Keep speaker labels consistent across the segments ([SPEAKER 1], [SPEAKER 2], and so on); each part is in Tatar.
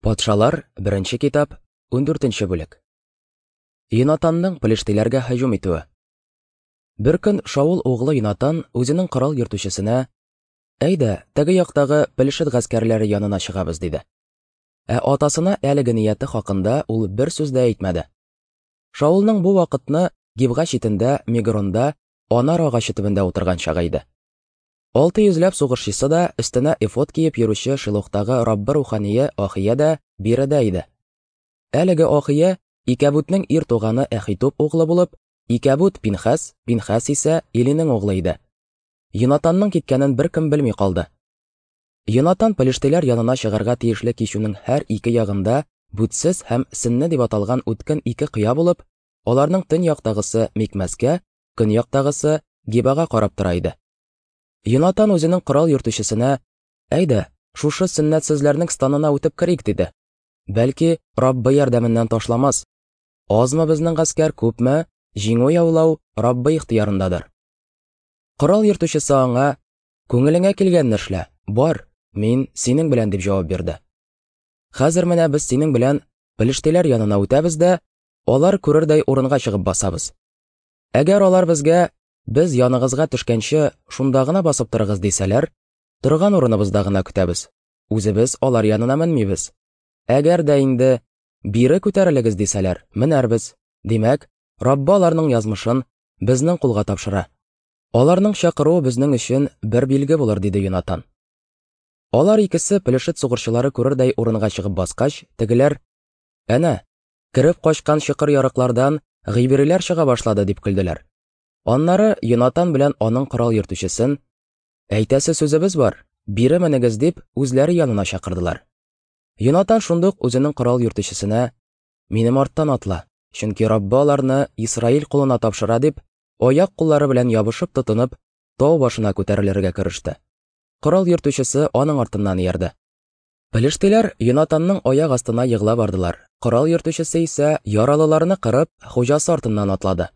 [SPEAKER 1] Патшалар, беренче китап, 14 бүлек. Йонатанның пелештиләргә һөҗүм итүе. Бер көн Шаул углы Йонатан үзенең корал йөртүчесенә: "Әйдә, теге яктагы Пелешет гаскәрләре янына чыгабыз", диде. Ә атасына әлеге нияте хакында ул бер сүз дә әйтмәде. Шаулның бу вакытны Гибга читендә, Мигронда, анар агачы төбендә утырган чагы иде. 600 ләп сугышчысы да, өстенә эфод киеп йөрүче Шилохтагы Раббы рухание Ахия дә биредә иде. Әлеге Ахия Икәбүтнең ир туганы Әхитуб углы булып, Икәбүт Пинхәс, Пинхәс исә Илинең углы иде. Йонатанның киткәнен беркем белми калды. Йонатан пелештиләр янына чыгарга тиешле кичүнең һәр ике ягында Бүтсез һәм Сенне дип аталган үткен ике кыя булып, аларның төньяктагысы Микмәскә, көньяктагысы Гибага карап тора иде. Йонатан үзенең корал йөртүчесенә, Әйдә, шушы сөннәтсезләрнең станына үтеп керик, диде. Бәлки, Раббы ярдәменнән ташламас. Азмы безнең гаскәр, күпме, җиңү яулау Раббы ихтыярындадыр. Корал йөртүчесе аңа, Күңелеңә килгәнне эшлә, бар, мин синең белән, дип җавап бирде. Хәзер менә без синең белән пелештиләр янына үтәбез дә, алар күрердәй урынга чыгып басабыз. Әгәр алар безгә, без яныгызга төшкәнче, шунда гына басып торыгыз дисәләр, торган урыныбызда гына көтәбез. Үзебез алар янына менмибез. Әгәр дә инде бире күтәрелегез дисәләр, менәрбез. Димәк, Раббы аларның язмышын безнең кулга тапшыра. Аларның чакыруы безнең өчен бер билге булыр, диде Йонатан. Алар икесе Пелешет сугышчылары күрердәй урынга чыгып баскач, тегеләр: "Әнә, кереп качкан чокыр-ярыклардан гыйбриләр чыга башлады, дип көлделәр. Аннары Йонатан белән аның корал йөртүчесен, әйтәсе сүзебез бар, бире менегез дип, үзләре янына чакырдылар. Йонатан шундук үзенең корал йөртүчесенә, минем арттан атла, чөнки Раббы аларны Исраил кулына тапшыра дип, аяк-куллары белән ябышып тотынып, тау башына күтәрелергә кереште. Корал йөртүчесе аның артыннан иярде. Пелештиләр Йонатанның аяк астына егыла бардылар. Корал йөртүчесе исә яралыларны кырып, хуҗасы артыннан атлады.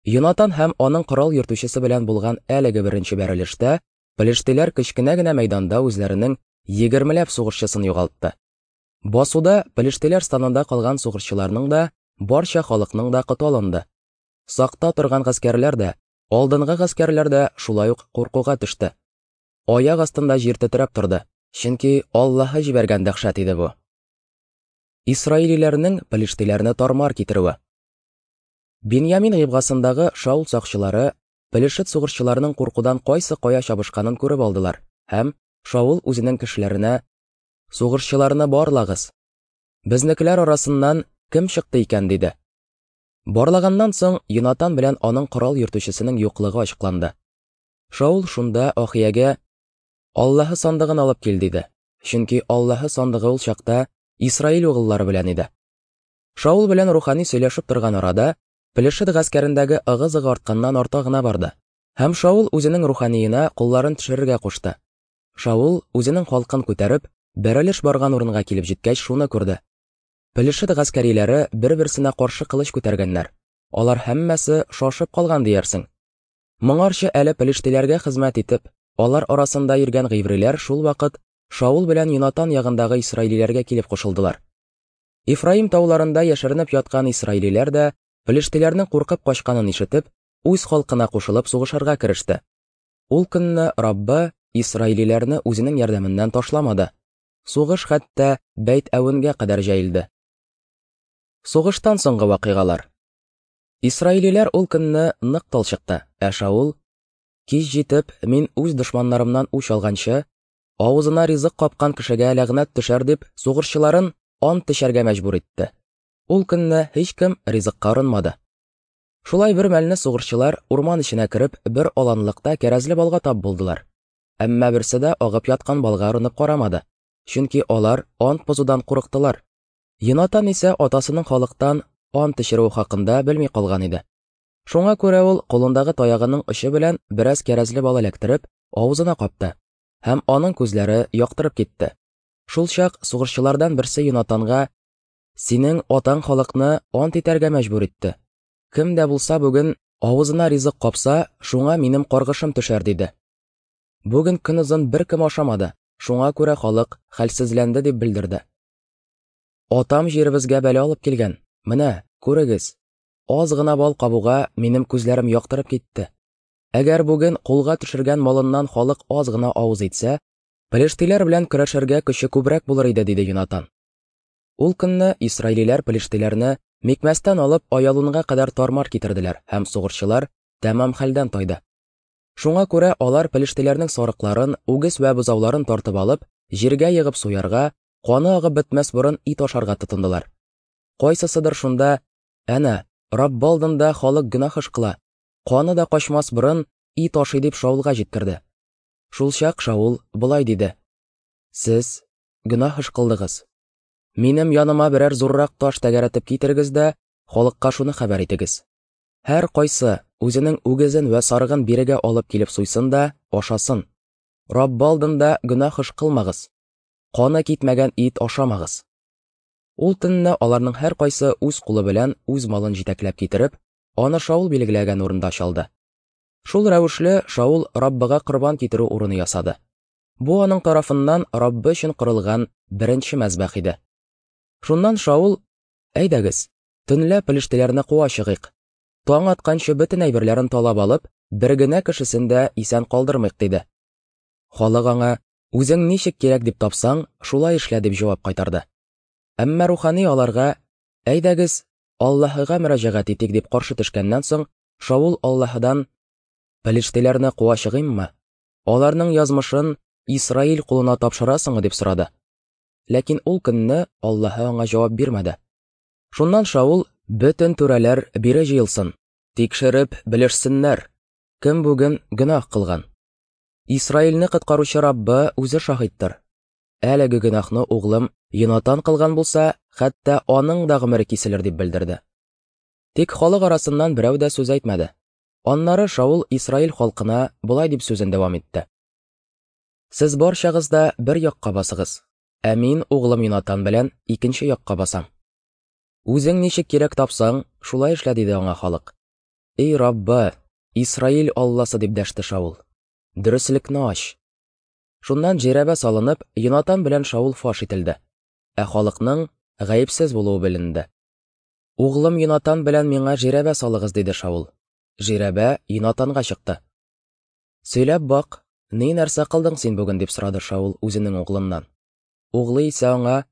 [SPEAKER 1] Йонатан һәм аның корал йөртүчесе белән булган әлеге беренче бәрелештә пелештиләр кечкенә генә мәйданда үзләренең егермеләп сугышчысын югалтты. Басуда пелештиләр станында калган сугышчыларның да, барча халыкның да коты алынды. Сакта торган гаскәрләр дә, алдынгы гаскәрләр дә шулай ук куркуга төште. Аяк астында җир тетрәп торды, чөнки Аллаһы җибәргән дәһшәт иде бу. Исраилиләрнең пелештиләрне тармар китерүе. Беньямин гыйбгасындагы Шаул сакчылары Пелешет сугышчыларының куркудан кайсы кая чабышканын күреп алдылар һәм Шаул үзенең кешеләренә: "Сугышчыларны барлагыз. Безнекеләр арасыннан кем чыкты икән?" диде. Барлаганнан соң Йонатан белән аның корал йөртүчесенең юклыгы ачыкланды. Шаул шунда Ахиягә Аллаһы сандыгын алып кил диде. Чөнки Аллаһы сандыгы ул чакта Исраил угыллары белән иде. Шаул белән рухани сөйләшеп торган арада, Пелешет гаскәрендәге ыгы-зыгы артканнан арта гына барды. Һәм Шаул үзенең руханиена кулларын төшерергә кушты. Шаул үзенең халкын күтәреп, бәрелеш барган урынга килеп җиткәч шуны күрде. Пелешет гаскәриләре бер-берсенә каршы кылыч күтәргәннәр. Алар һәммәсе шашып калган диярсең. Моңарчы әле пелештиләргә хезмәт итеп, алар арасында йөргән гыйбриләр шул вакыт Шаул белән Йонатан ягындагы исраилиләргә килеп кушылдылар. Ефраим тауларында яшеренеп яткан исраилиләр дә пелештиләрнең куркып качканын ишетеп, үз халкына кушылып сугышырга кереште. Ул көнне Раббы исраилиләрне үзенең ярдәменнән ташламады. Сугыш хәтта Бәйт-Әвенгә кадәр җәелде. Сугыштан соңгы вакыйгалар. Исраилиләр ул көнне нык талчыкты, ә Шаул, Кич җитеп, мин үз дошманнарымнан үч алганчы, авызына ризык капкан кешегә ләгънәт төшәр дип, сугышчыларын ант эчәргә мәҗбүр итте. Ул көнне һичкем ризыкка орынмады. Шулай бер мәлне сугышчылар урман эченә кереп, бер аланлыкта кәрәзле балга тап булдылар. Әмма берсе дә агып яткан балга орынып карамады, чөнки алар ант бозудан курыктылар. Йонатан исә атасының халыктан ант эчерүе хакында белми калган иде. Шуңа күрә ул кулындагы таягының очы белән бераз кәрәзле бал эләктереп, авызына капты, һәм аның күзләре яктырып китте. Шул чак сугышчылардан берсе Йонатанга: "Синең атаң халыкны ант итәргә мәҗбүр итте. Кем дә булса бүген авызына ризык капса, шуңа минем каргышым төшәр", диде. Бүген көнозын беркем ашамады, шуңа күрә халык хәлсезләнде, дип белдерде. Атам җиребезгә бәла алып килгән. Менә, күрегез. Аз гына бал кабуга минем күзләрем яктырып китте. Әгәр бүген кулга төшергән малыннан халык аз гына авыз итсә, пелештиләр белән көрәшергә көче күбрәк булыр иде, диде Йонатан. Ул көнне исраилиләр пелештиләрне Микмәстән алып Аялунга кадәр тармар китерделәр һәм сугышчылар тәмам хәлдән тайды. Шуңа күрә алар пелештиләрнең сарыкларын, үгез вә бозауларын тартып алып, җиргә егып суярга, каны агып бетмәс борын ит ашарга тотындылар. Кайсысыдыр шунда, әнә, Раббы алдында халык гөнаһ эш кыла, каны да качмас борын ит ашый дип Шаулга җиткерде. Шулчак Шаул болай диде: Сез гөнаһ эш кылдыгыз. Минем яныма берәр зуррак таш тәгәрәтеп китерегез дә, халыкка шуны хәбәр итегез. Һәр кайсы үзенең үгезен вә сарыгын бирегә алып килеп суйсын да ашасын. Раббы алдында гөнаһ эш кылмагыз. Каны китмәгән ит ашамагыз. Ул төнне аларның һәркайсы үз кулы белән үз малын җитәкләп китереп, аны Шаул билгеләгән урында чалды. Шул рәвешле Шаул Раббыга корбан китерү урыны ясады. Бу аның тарафыннан Раббы өчен корылган беренче мәзбәх иде. Шуннан Шаул, Әйдәгез, төнлә пелештеләрне куа чыгыйк. Таң атканчы бөтен әйберләрен талап алып, бер генә кешесен дә исән калдырмыйк, диде. Халык аңа, Үзең ничек кирәк дип тапсаң, шулай эшлә, дип җавап кайтарды. Әмма рухани аларга, Әйдәгез, Аллаһыга мөрәҗәгать итик, дип каршы төшкәннән соң, Шаул Аллаһыдан, Пелештеләрне куа чыгыйммы? Аларның язмышын Исраил кулына тапшырасыңмы, дип сорады. Ләкин ул көнне Аллаһы аңа җавап бирмәде. Шуннан Шаул, бөтен түрәләр бире җыелсын, тикшереп белешсеннәр, кем бүген гөнаһ кылган. Исраилне коткаручы Раббы үзе шаһиттыр. Әлеге гөнаһны углым Йонатан кылган булса, хәтта аның да гомере киселер, дип белдерде. Тик халык арасыннан берәү дә сүз әйтмәде. Аннары Шаул Исраил халкына болай дип сүзен дәвам итте. Сез барчагыз да бер якка басыгыз, ә мин углым Йонатан белән икенче якка басам. Үзең ничек кирәк тапсаң, шулай эшлә, диде аңа халык. Эй Раббы, Исраил Алласы, дип дәште Шаул. Дөреслекне ач. Шуннан җирәбә салынып, Йонатан белән Шаул фаш ителде, ә халыкның гаепсез булуы беленде. Углым Йонатан белән миңа жирәбә салыгыз, диде Шаул. Жирәбә Йонатанга чыкты. Сөйләп бак, ни нәрсә кылдың син бүген, дип сорады Шаул үзенең углыннан. Углы исә аңа,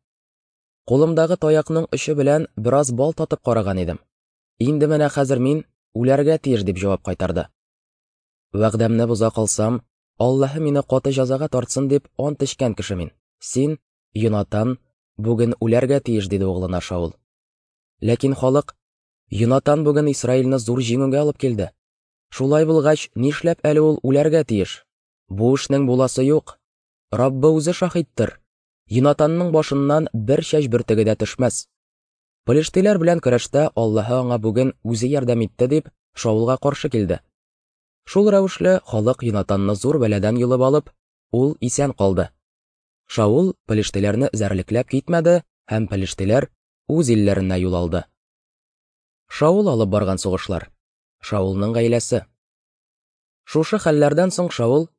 [SPEAKER 1] Кулымдагы таякның очы белән бераз бал татып караган идем. Инде менә хәзер мин үләргә тиеш, дип җавап кайтарды. Вәгъдәмне боза калсам, Аллаһы мине каты җәзага тартсын дип ант эчкән кеше мин. Син, Йонатан, бүген үләргә тиеш, диде углына Шаул. Ләкин халык, Йонатан бүген Исраилне зур җиңүгә алып килде. Шулай булгач, нишләп әле ул үләргә тиеш? Бу эшнең буласы юк. Раббы үзе шаһиттыр. Йонатанның башыннан бер чәч бөртеге дә төшмәс. Пелештиләр белән көрәштә Аллаһы аңа бүген үзе ярдәм итте дип, Шаулга каршы килде. Шул рәвешле халык Йонатанны зур бәладән йолып алып, ул исән калды. Шаул пелештиләрне эзәрлекләп китмәде һәм пелештиләр үз илләренә юл алды. Шаул алып барган сугышлар. Шаулның гаиләсе. Шушы хәлләрдән соң Шаул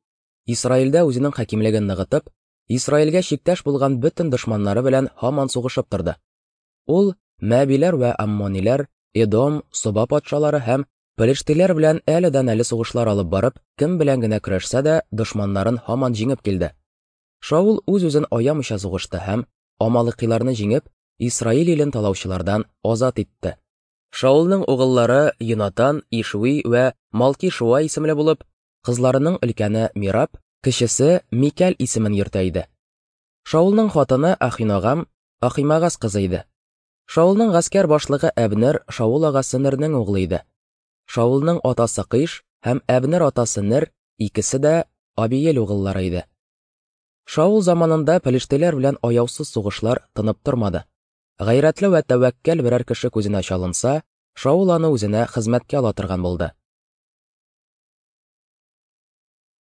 [SPEAKER 1] Исраилдә үзенең хакимлеген ныгытып, Исраилгә чиктәш булган бөтен дошманнары белән һаман сугышып торды. Ул Мәбиләр вә Аммониләр, Эдом, Соба патшалары һәм Пелештиләр белән әледән-әле сугышлар алып барып, кем белән генә көрәшсә дә, дошманнарын һаман җиңеп килде. Шаул үз-үзен аямыйча сугышты һәм амалыкиларны җиңеп, Исраил илен талаучылардан азат итте. Шаулның угыллары Йонатан, Ишви вә Малки-Шуа исемле булып, кызларының өлкәне Мираб, кечесе Микәл исемен йөртә иде. Шаулның хатыны Ахиногам Ахимагас кызы иде. Шаулның гаскәр башлыгы Әбнер Шаул агасы Нернең углы иде. Шаулның атасы Кыш һәм Әбнер атасы Нер икесе дә Абиел угыллары иде. Шаул заманында пелештеләр белән аяусыз сугышлар тынып тормады. Гайрәтле вә тәвәккәл берәр кеше күзенә чалынса, Шаул аны үзенә хезмәткә ала торган булды.